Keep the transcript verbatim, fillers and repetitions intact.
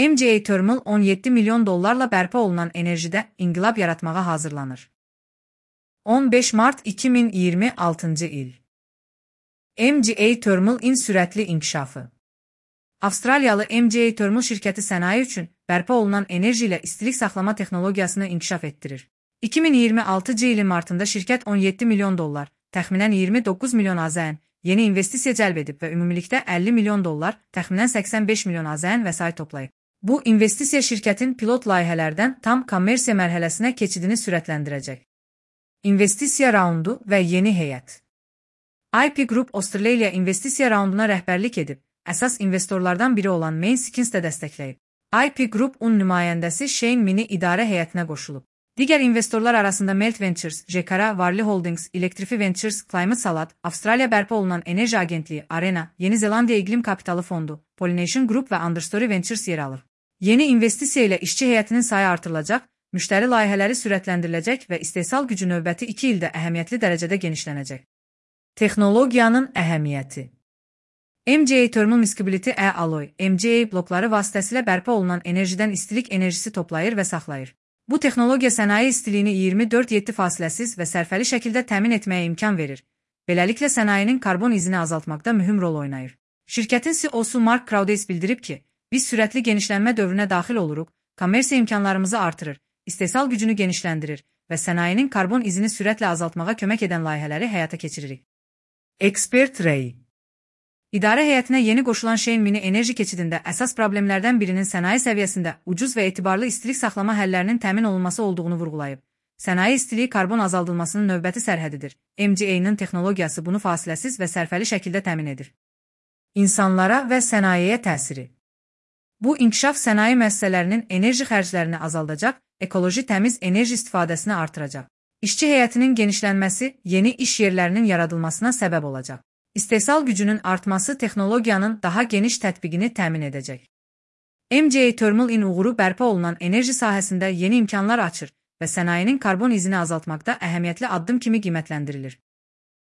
M C A Thermal on yeddi milyon dollarla bərpa olunan enerjidə inqilab yaratmağa hazırlanır. on beş mart iki min iyirmi altıncı il. M C A Thermal-in sürətli inkişafı. Avstraliyalı M C A Thermal şirkəti sənaye üçün bərpa olunan enerji ilə istilik saxlama texnologiyasını inkişaf etdirir. iki min iyirmi altıncı ilin martında şirkət on yeddi milyon dollar, təxminən iyirmi doqquz milyon AZN, yeni investisiya cəlb edib və ümumilikdə əlli milyon dollar, təxminən səksən beş milyon AZN vəsait toplayıb. Bu investisiya şirkətin pilot layihələrdən tam kommersiya mərhələsinə keçidini sürətləndirəcək. İnvestisiya raundu və yeni heyət. I P Group Australia investisiya raunduna rəhbərlik edib, əsas investorlardan biri olan Mainskins də dəstəkləyib. I P Group-un nümayəndəsi Shane Mini idarə heyətinə qoşulub. Digər investorlar arasında Melt Ventures, Jekara, Varley Holdings, Electrify Ventures, Climate Salad, Avstraliya bərpa olunan enerji agentliyi Arena, Yeni Zelandiya İqlim Kapitalı Fondu, Pollination Group və Understory Ventures yer alır. Yeni investisiya ilə işçi heyətinin sayı artırılacaq, müştəri layihələri sürətləndiriləcək və istehsal gücü növbəti iki ildə əhəmiyyətli dərəcədə genişlənəcək. Texnologiyanın əhəmiyyəti. M C A Thermal Miscibility E-Alloy, M C A blokları vasitəsilə bərpa olunan enerjidən istilik enerjisi toplayır və saxlayır. Bu texnologiya sənaye istiliyini iyirmi dörd yeddi fasiləsiz və sərfəli şəkildə təmin etməyə imkan verir. Beləliklə sənayenin karbon izini azaltmaqda mühüm rol oynayır. Şirkətin C E O-su Mark Crowdeys bildirib ki, biz sürətli genişlənmə dövrünə daxil oluruq, kommersiya imkanlarımızı artırır, istehsal gücünü genişləndirir və sənayenin karbon izini sürətlə azaltmağa kömək edən layihələri həyata keçiririk. Expert Ray. İdarə heyətinə yeni qoşulan Shane Mini enerji keçidində əsas problemlərdən birinin sənaye səviyyəsində ucuz və etibarlı istilik saxlama həllərinin təmin olunması olduğunu vurğulayıb. Sənaye istiliyi karbon azaldılmasının növbəti sərhədidir. M C A-nın texnologiyası bunu fasiləsiz və sərfəli şəkildə təmin edir. İnsanlara və sənayeyə təsiri. Bu inkişaf sənaye müəssisələrinin enerji xərclərini azaldacaq, ekoloji təmiz enerji istifadəsini artıracaq. İşçi heyətinin genişlənməsi yeni iş yerlərinin yaradılmasına səbəb olacaq. İstehsal gücünün artması texnologiyanın daha geniş tətbiqini təmin edəcək. M C A Thermal-in uğuru bərpa olunan enerji sahəsində yeni imkanlar açır və sənayenin karbon izini azaltmaqda əhəmiyyətli addım kimi qiymətləndirilir.